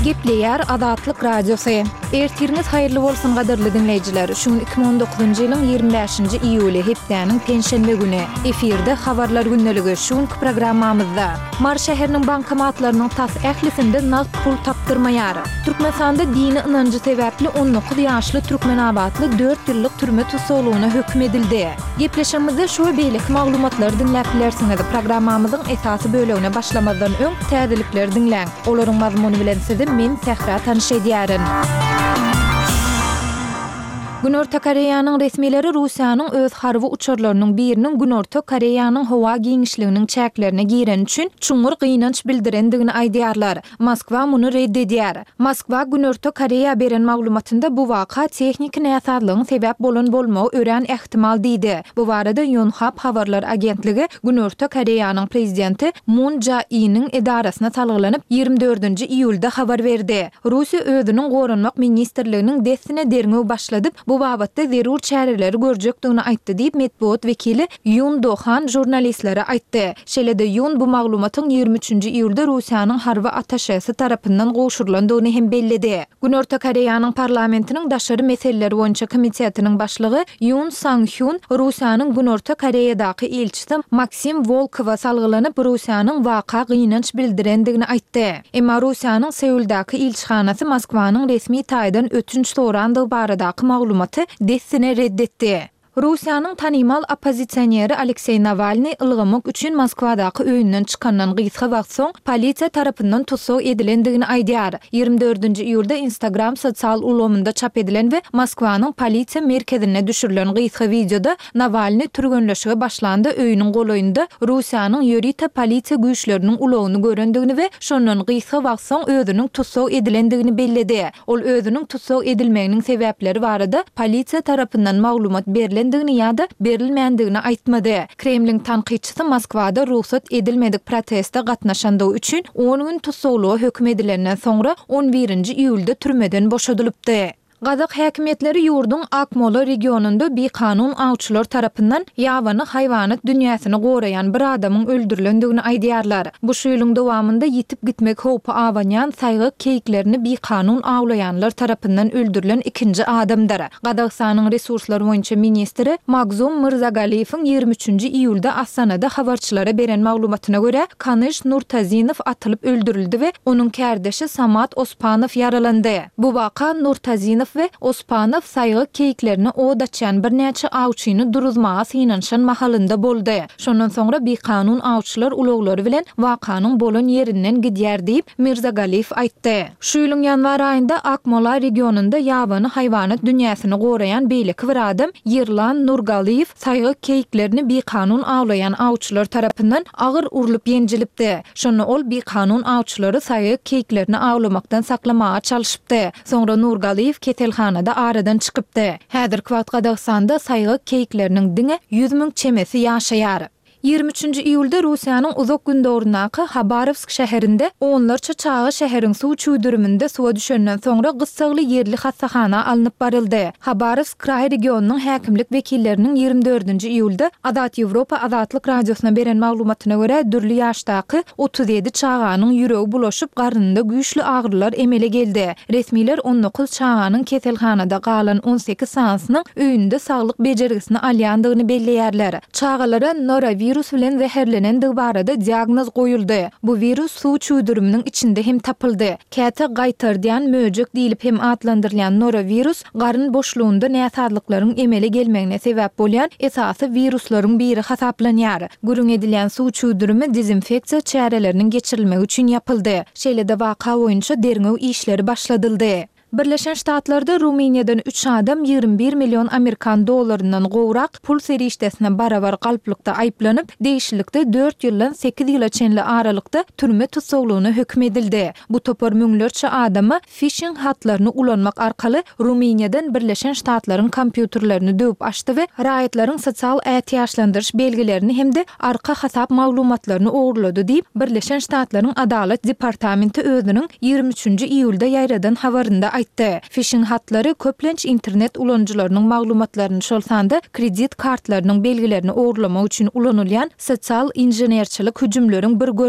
Gepleýär Azatlyk Radiosy. Ertiriňiz haýyrly bolsun gadyrly diňleýjiler. Şu gün 2019-njy ýylyň 25-nji iýuly, hepdäniň penşenbe güni. Efirde Habarlar gündeligi. Şu günki programmamyzda. Mary şäheriniň bankomatlarynyň tas ählisinde nagt pul tapdyrmaýar. Türkmenistanda dini ynanjy sebäpli 19 ýaşly türkmenabatly dört ýyllyk türme tussaglygyna höküm edildi. Gepleşigimizde şu we beýleki maglumatlary diňläp bilersiňiz. Programmamyzyň esasy bölegine başlamazdan öň, täzelikleri diňläň. Olaryň mazmuny bilen sizi men, Sähra tanyş edýärin. Günorta Koreýanyň resmileri Russiýanyň öz harby uçarlarynyň biriniň Günorta Koreýanyň howa giňişliginiň çäklerine gireni üçin çuňňur gynanç bildirendigini aýdýarlar. Moskwa muny ret edýär. Moskwa Günorta Koreýa beren maglumatynda bu waka tehniki näsazlygyň sebäp bolan bolmagy örän ähtimal diýdi. Bu barada Ýonhap habarlar agentligi Günorta Koreýanyň prezidenti Mun Jae-iniň edarasyna salgylanyp, 24-nji iýulda habar berdi. Russiýa özüniň Goranmak ministrliginiň dessine derňew başladyp, bu babatda zerur çäreleri görjekdigini aýtdy diýip, metbugat wekili Ýun Do Han žurnalistlere aýtdy. Şeýle-de Ýun bu maglumatyň 23-nji iýulda Russiýanyň harby attaşesi tarapyndan gowşurylandygyny hem belledi. Günorta Koreýanyň parlamentiniň daşary meseleler boýunça komitetiniň başlygy Ýun Sang Hýun Russiýanyň Günorta Koreýadaky ilçisi Maksim Wolkowa salgylanyp, Russiýanyň waka gynanç bildirendigini aýtdy. Emma Russiýanyň Seuldaky ilçihanasy Moskwanyň resmi taýdan ötünç sorandygy baradaky maglumaty dessine ret etdi. Russiýanyň tanymal oppozisioneri Alekseý Nawalnyý ylgamak üçin Moskwadaky öýünden çykandan gysga wagt soň polisiýa tarapyndan tussag edilendigini aýdýar. 24-nji iýulda Instagram sosial ulgamynda çap edilen we Moskwanyň polisiýa merkezinde düşürilen gysga wideoda Nawalnyý türgenleşige başlanda öýüniň golaýynda Russiýanyň ýörite polisiýa güýçleriniň ulagyny görendigini we şondan gysga wagt soň özüniň tussag edilendigini belledi. Ol özüniň tussag edilmeginiň sebäpleri barada polisiýa tarapyndan maglumat berlendigini ýa-da berilmändigini aýtmady. Kremliň tankytçysy Moskwada rugsat edilmedik proteste gatnaşandygy üçin on gün tussaglyga höküm edilenden soňra on birinji iýulda türmeden boşadylypdy. Gazak häkimiýetleri ýurduň Akmola regionynda bikanun awçylar tarapyndan ýabany haýwanat dünýäsini goraýan bir adamyň öldürilendigini aýdýarlar. Bu şu ýylyň dowamynda ýitip gitmek howpy abanýan saýgak keýiklerini bikanun awlaýanlar tarapyndan öldürilen ikinji adamdyr. Gazagystanyň resurslar boýunça ministri Magzum Myrzagaliýewiň 23-nji iýulda Astanada habarçylara beren maglumatyna görä, Kanyş Nurtazinow atylyp öldürildi we onuň kärdeşi Samat Ospanow ýaralandy. Bu waka Nurtazinow we Ospanow saýgak keýiklerine ot açýan birnäçe awçyny duruzmaga synanyşan mahalynda boldy. Şondan soňra bikanun awçylar ulaglary bilen wakanyň bolan ýerinden gidýär diýip, Mirzagaliýew aýtdy. Şu ýylyň ýanwar aýynda Akmola regionynda ýabany haýwanat dünýäsini goraýan beýleki bir adam Ýerlan Nurgaliýew saýgak keýiklerini bikanun awlaýan awçylar tarapyndan agyr urlup ýenjilipdi. Şonda ol bikanun awçylary saýgak keýiklerini awlamakdan saklamaga çalşypdy. Soňra Nurgaliýew keselhanada aradan çykypdy. Häzirki wagt Gazagystanda saýgak keýikleriniň diňe 100 müň çemesi ýaşaýar. 23-nji iýulda Russiýanyň Uzak Gündogaryndaky Habarowsk şäherinde onlarça çaga şäheriň suw çüwdüriminde suwa düşenden soňra gyssagly ýerli hassahana alnyp baryldy. Habarowsk kraý regionynyň häkimlik wekilleriniň 24-nji iýulda Azat Ýewropa Azatlyk Radiosyna beren maglumatyna görä, dürli ýaşdaky 37 çaganyň ýüregi bulaşyp, garnynda güýçli agyrylar emele geldi. Resmiler 19 çaganyň keselhanada galan 18 sanysynyň öýünde saglyk bejergisini alýandygyny belleýärler. Çagalara norowirus bilen zäherlenendigi barada diagnoz goýuldy. Bu wirus suw çüwdüriminiň içinde hem tapyldy. Käte gaýtardýan möjek diýlip hem atlandyrylýan norowirus garyn boşlugynda näsazlyklaryň emele gelmegine sebäp bolýan esasy wiruslaryň biri hasaplanýar. Gürrüň edilýän suw çüwdürimi dezinfeksiýa çäreleriniň geçirilmegi üçin ýapyldy. Şeýle-de waka boýunça derňew işleri başladyldy. Birleşen Ştatlarda Rumyniýadan üç adam 21 million amerikan dollaryndan gowrak pul serişdesine barabar galplykda aýyplanyp, degişlilikde dört ýyldan sekiz ýyla çenli aralykda türme tussaglygyna höküm edildi. Bu topar müňlerçe adama fişing hatlaryny ulanmak arkaly Rumyniýadan Birleşen Ştatlaryň kompýuterlerini döwüp açdy we raýatlaryň sosial ätiýaçlandyryş belgilerini hem-de arka hasap maglumatlaryny ogurlady diýip, Birleşen Ştatlaryň Adalat departamenti özüniň 23-nji iýulda ýaýradan habarynda aýtdy. Fişing hatlary, köplenç, internet ulanyjylarynyň maglumatlaryny, şol sanda kredit kartlarynyň belgilerini ogurlamak üçin ulanylýan sosial inženerçilik hüjümleriň bir görnüşidir.